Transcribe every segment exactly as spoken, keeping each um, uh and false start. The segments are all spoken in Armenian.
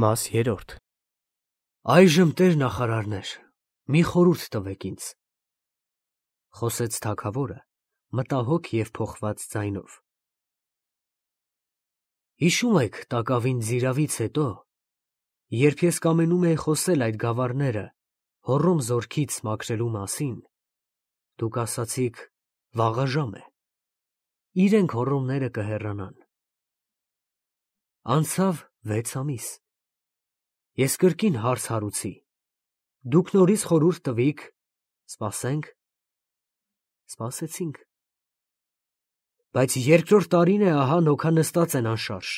Մաս երրորդ Այժմ տեր նախարարներ, մի խորհուրդ տվեք ինձ, խոսեց թագավորը մտահոգ և փոխված ձայնով. Հիշում եք տակավին ձիravից հետո, երբ ես կամենում էի խոսել այդ գավառները Հոռոմ զորքից մաքրելու մասին, դուք ասացիք վաղաժամ է, իրենք հոռոմները կհեռանան։ Անցավ վեց ամիս, ես կրկին հարց հարուցի, դուք նորից խորհուրդ տվիք, սպասենք, սպասեցինք, բայց երկրորդ տարին է ահա նոքա նստած են անշարժ,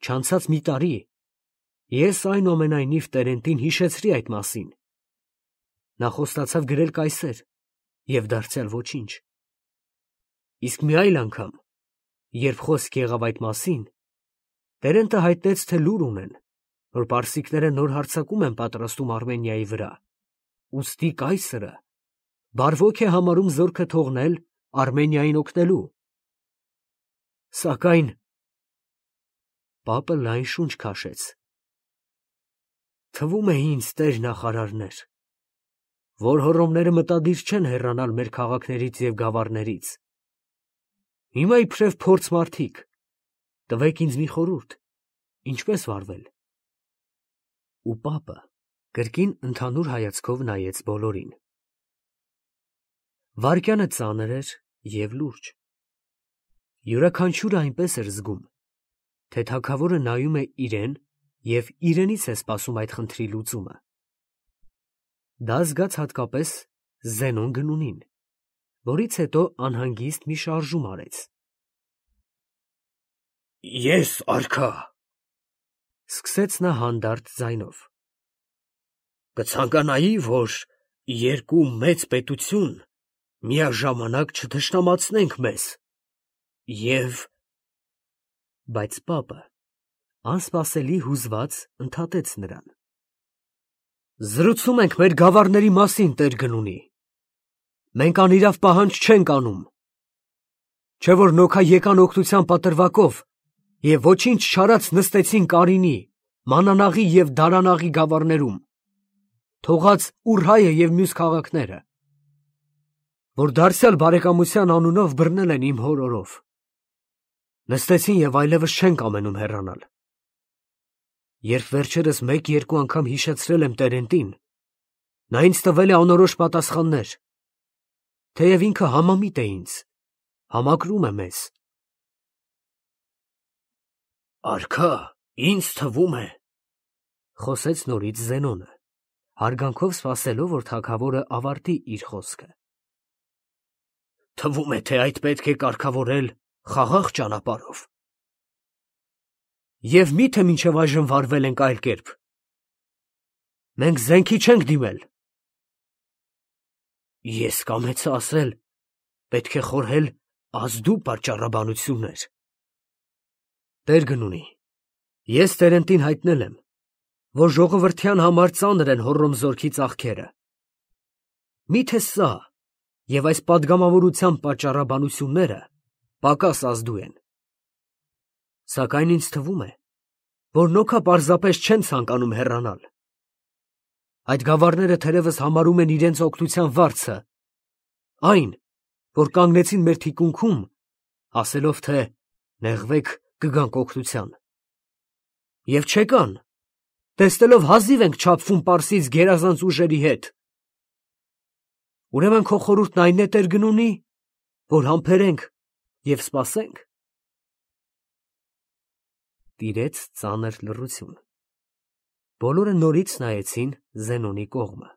չանցած մի տարի, ես այնուամենայնիվ Տերենտին հիշեցրի այդ մասին, նա խոստացավ գրել կայսեր և դարձյալ ոչինչ, իսկ մի այլ անգամ, երբ խոսք եղավ այդ մասին, Տերենտը հայտնեց, թե լուր ունեն, որ պարսիկները նոր հարձակում են պատրաստում Արմենիայի վրա, ուստի կայսրը բարվոք է համարում զորքը թողնել Արմենիային օգնելու, սակայն պապը լայն շունչ քաշեց. թվում է ինձ, տեր նախարարներ, որ հոռոմները մտադիր չեն հեռանալ մեր քաղաքներից և գավառներից, հիմա իբրև փորձ մարդիկ, տվեք ինձ մի խորհուրդ, ինչպես վարվել։ Ու պապը կրկին ընդհանուր հայացքով նայեց բոլորին։ Վայրկյանը ծանր էր և լուրջ։ Յուրաքանչյուրը այնպես էր զգում, թե թագավորը նայում է իրեն և իրենից է սպասում այդ խնդրի լուծումը։ Դա զգաց հատկապես Զենոն Գնունին, որից հետո անհանգիստ մի շարժում արեց։ Ես, արքա, սկսեց նա հանդարտ ձայնով, կցանկանայի, որ երկու մեծ պետություն միաժամանակ չթշնամացնենք մեզ և… Բայց պապը անսպասելի հուզված ընդհատեց նրան. Զրուցում ենք մեր գավառների մասին, տեր Գնունի, մենք անիրավ պահանջ չենք անում, չէ՞ որ նոքա եկան օգնության պատրվակով և ոչինչ չարած նստեցին Կարինի, Մանանաղի և Դարանաղի գավառներում, թողած Ուրհայը և մյուս քաղաքները, որ դարձյալ բարեկամության անունով բռնել են իմ հոր օրով, նստեցին և այլևս չեն կամենում հեռանալ։ Երբ վերջերս մեկ֊երկու անգամ հիշեցրել եմ Տերենտին, նա ինձ տվել է անորոշ պատասխաններ, թեև ինքը համամիտ է ինձ, համակրում է մեզ։ Արքա, ինձ թվում է, խոսեց նորից Զենոնը, հարգանքով սպասելով, որ թագավորը ավարտի իր խոսքը։ Թվում է, թե այդ պետք է կարգավորել խաղաղ ճանապարհով։ Եվ մի՞թե մինչև այժմ վարվել ենք այլ կերպ։ Մենք զենքի չենք դիմել։ Ես կամեցա ասել, պետք է խորհել ազդու պատճառաբանություններ։ Տեր Գնունի, ես Տերենտին հայտնել եմ, որ ժողովրդյան համար ծանր են Հոռոմ զորքի ծախքերը։ Մի՞թե սա և այս պատգամավորության պատճառաբանությունները պակաս ազդու են։ Սակայն ինձ թվում է, որ նոքա պարզապես չեն ցանկանում հեռանալ։ Այդ գավառները թերևս համարում են իրենց օգնության վարձը, այն, որ կանգնեցին մեր թիկունքում, ասելով, թե նեղվեք, կգանք օգնության։ Եվ չեկան, տեսնելով հազիվ ենք չափվում Պարսից գերազանց ուժերի հետ։ Ուրեմն քո խորհուրդն այն է, տեր Գնունի, որ համբերենք և սպասենք։ Տիրեց ծանր լռություն։ Բոլորը նորից նայեցին Զենոնի կողմը։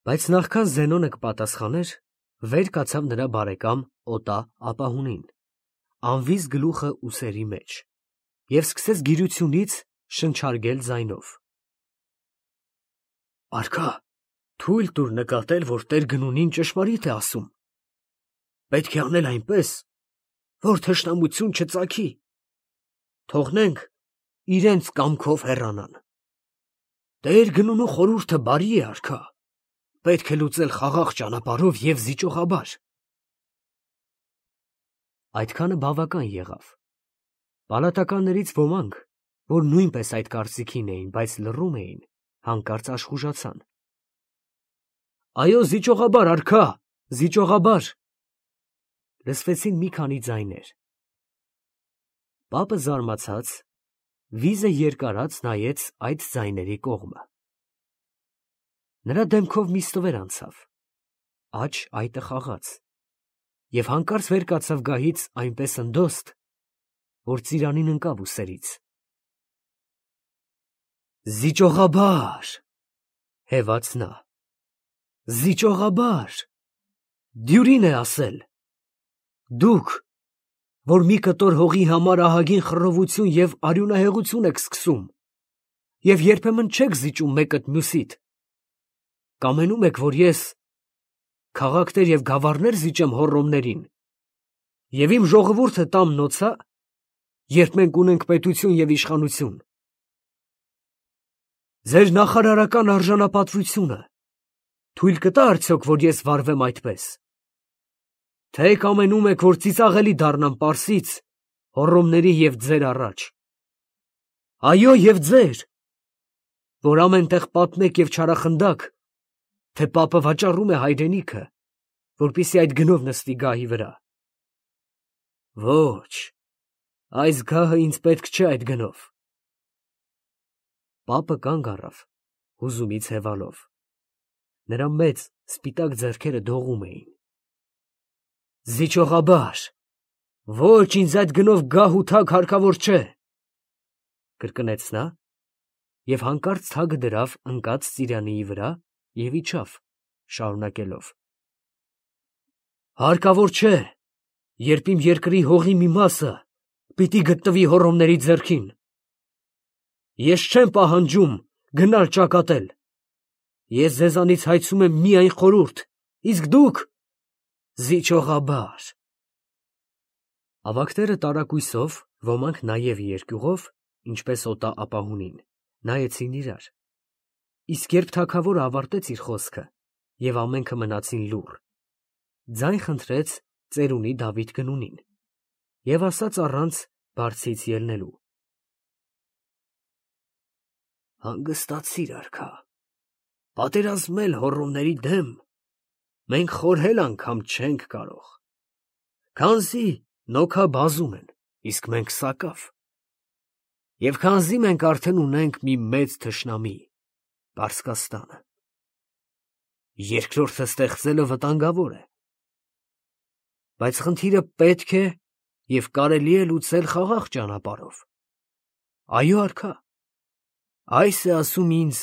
Բայց նախքան Զենոնը կպատասխաներ, վեր կացավ նրա բարեկամ Օտա ապահունին, անվիզ գլուխը ուսերի մեջ, և սկսեց գիրությունից շնչարգել ձայնով. Արքա, թույլ տուր նկատել, որ տեր Գնունին ճշմարիտ է ասում. պետք է անել այնպես, որ թշնամություն չծագի, թողնենք իրենց կամքով հեռանան։ Տեր Գնունու խորհուրդը բարի է, արքա, պետք է լուծել խաղաղ ճանապարհով և զիջողաբար։ Այդքանը բավական եղավ։ Պալատականներից ոմանք, որ նույնպես այդ կարծիքին էին, բայց լռում էին, հանկարծ աշխուժացան։ Այո, զիջողաբար, արքա, զիջողաբար։ Լսվեցին մի քանի ձայներ։ Պապը զարմացած, վիզը երկարած նայեց այդ ձայների կողմը։ Նրա դեմքով մի ստվեր անցավ, աջ այտը խաղաց, և հանկարծ վեր կացավ գահից այնպես ընդոստ, որ ծիրանին ընկավ ուսերից։ Զիջողաբար, հևաց նա, զիջողաբար, դյուրին է ասել, դուք, որ մի կտոր հողի համար ահագին խռովություն և արյունահեղություն եք սկսում, և երբեմն չեք զիջում մեկըդ մյուսիդ, կամենում եք, որ ես քաղաքներ և գավառներ զիջեմ հոռոմներին, և իմ ժողովուրդը տամ նոցա, երբ մենք ունենք պետություն և իշխանություն։ Ձեր նախարարական արժանապատվությունը թույլ կտա արդյոք, որ ես վարվեմ այդպես, թե կամենում եք, որ ծիծաղելի դառնամ Պարսից, հոռոմների և ձեր առաջ։ Այո, և ձեր, որ ամեն տեղ պատմեք և չարախնդաք, թե պապը վաճառում է հայրենիքը, որպեսզի այդ գնով նստի գահի վրա։ Ոչ, այս գահը ինձ պետք չէ այդ գնով։ Պապը կանգ առավ, հուզումից հևալով։ Նրա մեծ սպիտակ ձեռքերը դողում էին։ Զիջողաբար, ոչ, ինձ այդ գնով գահ ու թագ հարկավոր չէ, կրկնեց նա, և հանկարծ թագը դրավ ընկած ծիրանիի վրա և իջավ, շարունակելով. Հարկավոր չէ, երբ իմ երկրի հողի մի մասը պիտի գտնվի հոռոմների ձեռքին։ Ես չեմ պահանջում գնալ ճակատել, ես ձեզանից հայցում եմ միայն խորհուրդ, իսկ դուք զիջողաբար։ Ավագները տարակույսով, ոմանք նաև երկյուղով, ինչպես օտա ապահունին, նայեցին իրար, իսկ երբ թագավորը ավարտեց իր խոսքը, և ամենքը մնացին լուռ, ձայն խնդրեց ծերունի Դավիթ գնունին, և ասաց առանց բարձից ելնելու. Հանգստացիր, արքա, պատերազմել հոռոմների դեմ մենք խորհել անգամ չենք կարող, քանզի նոքա բազում են, իսկ մենք սակավ, և քանզի մենք արդեն ունենք մի մեծ թշնամի, Պարսկաստանը, երկրորդը ստեղծելը վտանգավոր է, բայց խնդիրը պետք է և կարելի է լուծել խաղաղ ճանապարհով։ Այո, արքա, այս է ասում ինձ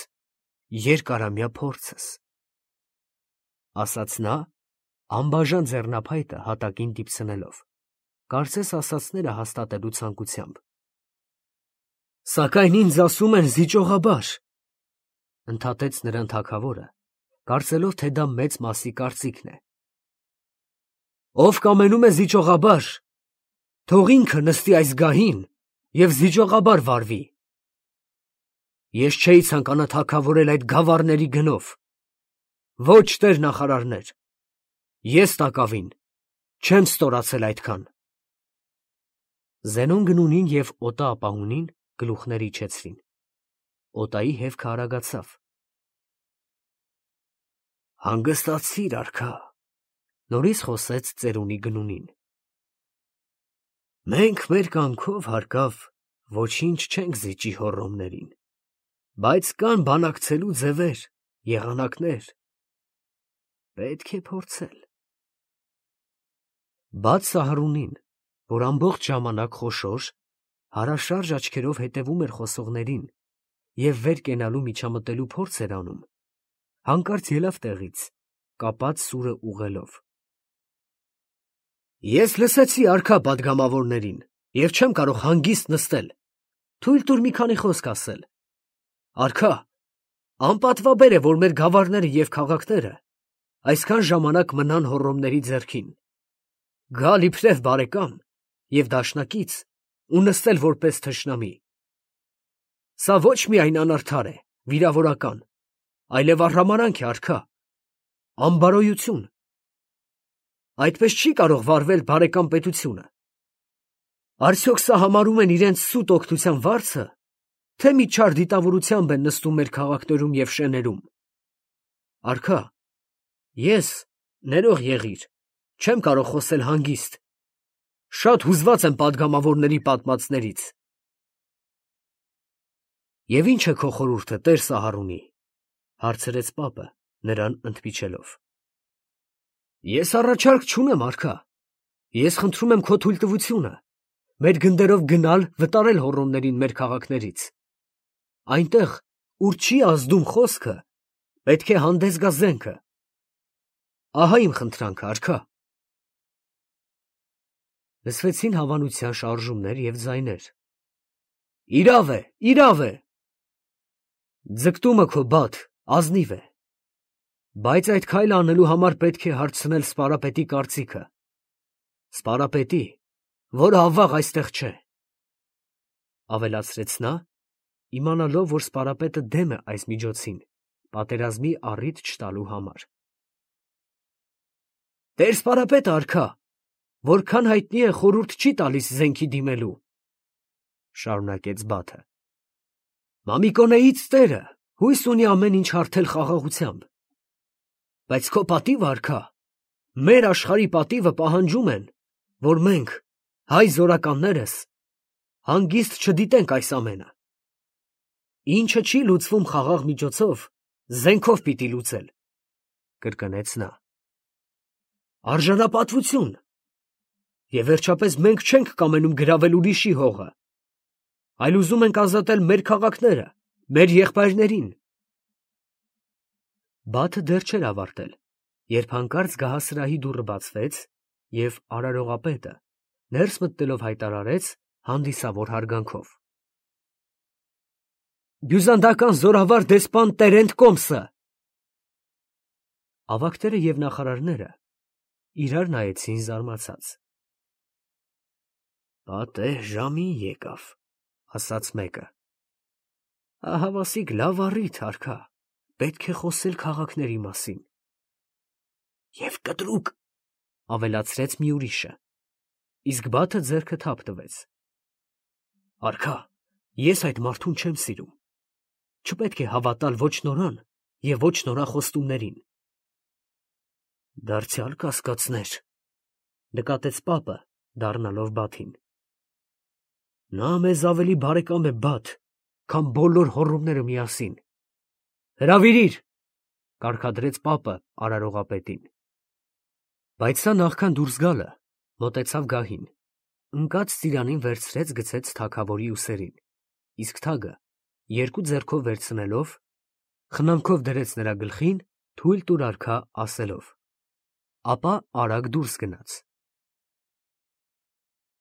երկարամյա փորձս, ասաց նա, անբաժան ձեռնափայտը հատակին դիպցնելով, կարծես ասածները հաստատելու ցանկությամբ։ Սակայն ինձ ասում են զիջողաբար, ընդհատեց նրան թագավորը, կարծելով, թե դա մեծ մասի կարծիքն է։ Ով կամենում է զիջողաբար, թող ինքը նստի այս գահին և զիջողաբար վարվի։ Ես չէի ցանկանա թագավորել այդ գավառների գնով, ոչ տեր նախարարներ, ես տակավին չեմ ստորացել այդքան։ Զենոն գնունին և օտա ապահունին գլուխներ իջեցրին, օտայի հևքը արագացավ։ Հանգստացիր, արքա, նորից խոսեց ծերունի գնունին։ Մենք մեր կամքով հարկավ ոչինչ չենք զիջի հոռոմներին, բայց կան բանակցելու ձևեր, եղանակներ, պետք է փորձել։ Բաց Սահարունին, որ ամբողջ ժամանակ խոշոր, հարաշարժ աչքերով հետևում էր խոսողներին և վեր կենալու միջամտելու փորձ էր անում, հանկարծ ելավ տեղից, կապած սուրը ուղղելով։ Ես լսեցի արքա պատգամավորներին և չեմ կարող հանգիստ նստել, թույլ տուր մի քանի խոսք ասել։ Արքա, անպատվաբեր է, որ մեր գավառները և քաղաքները այսքան ժամանակ մնան հոռոմների ձեռքին, գալ իբրև բարեկամ և դաշնակից ու նստել որպես թշնամի։ Սա ոչ միայն անարդար է, վիրավորական, այլև արհամարհանք է, արքա, անբարոյություն։ Այդպես չի կարող վարվել բարեկամ պետությունը։ Արդյոք սա համարում են իրենց սուտ օգնության վարձը, թե մի չար դիտավորությամբ են նստում մեր քաղաքներում և շեներում։ Արքա, ես, ներող եղիր, չեմ կարող խոսել հանգիստ, շատ հուզված եմ պատգամավորների պատմածներից։ Եվ ի՞նչ է քո խորհուրդը, տեր Սահարունի, հարցրեց պապը, նրան ընդմիջելով։ Ես առաջարկ չունեմ, արքա, ես խնդրում եմ քո թույլտվությունը մեր գնդերով գնալ վտարել հոռոմներին մեր քաղաքներից։ Այնտեղ, ուր չի ազդում խոսքը, պետք է հանդես գա զենքը։ Ահա իմ խնդրանքը, արքա։ Լսվեցին հավանության շարժումներ և ձայներ։ Իրավ է, իրավ է։ Ձգտումը քո բադ, ազնիվ է, բայց այդ քայլը անելու համար պետք է հարցնել սպարապետի կարծիքը, սպարապետի, որը ավաղ այստեղ չէ, ավելացրեց նա, իմանալով, որ սպարապետը դեմ է այս միջոցին, պատերազմի առիթ չտալու համար։ Տեր սպարապետը, արքա, որքան հայտնի է, խորհուրդ չի տալիս զենքի դիմելու, շարունակեց Բաթը։ Մամիկոնեից տերը հույս ունի ամեն ինչ հարթել խաղաղությամբ, բայց քո պատիվը, արքա, մեր աշխարհի պատիվը պահանջում են, որ մենք, հայ զորականներս, հանգիստ չդիտենք այս ամենը։ Ինչը չի լուծվում խաղաղ միջոցով, զենքով պիտի լուծել, կրկնեց նա։ Արժանապատվություն։ Եվ վերջապես մենք չենք կամենում գրավել ուրիշի հողը, այլ ուզում ենք ազատել մեր քաղաքները, մեր եղբայրներին։ Բաթը դեռ չէր ավարտել, երբ հանկարծ գահասրահի դուռը բացվեց, և արարողապետը, ներս մտնելով հայտարարեց հանդիսավոր հարգանքով. Բյուզանդական զորավար դեսպան Տերենտ Կոմսը։ Ավագները և նախարարները իրար նայեցին զարմացած։ Պատեհ ժամին եկավ, ասաց մեկը։ Ահավասիկ լավ առիթ, արքա, պետք է խոսել քաղաքների մասին։ Եվ կտրուկ, ավելացրեց մի ուրիշը, իսկ Բաթը ձեռքը թափ տվեց։ Արքա, ես այդ մարդուն չեմ սիրում, չպետք է հավատալ ոչ նորան և ոչ նորախոստումներին։ Դարձյալ կասկածներ, նկատեց պապը, դառնալով Բաթին։ Նա մեզ ավելի բարեկամ է, Բաթ, քան բոլոր հոռոմները միասին։ Հրավիրիր, կարգադրեց պապը արարողապետին։ Բայց նա նախքան դուրս գալը, մոտեցավ գահին, ընկած ծիրանին վերցրեց գցեց թագավորի ուսերին, իսկ թագը, երկու ձեռքով վերցնելով, խնամքով դրեց նրա գլխին, թույլ տուր արքա ասելով, ապա արագ դուրս գնաց։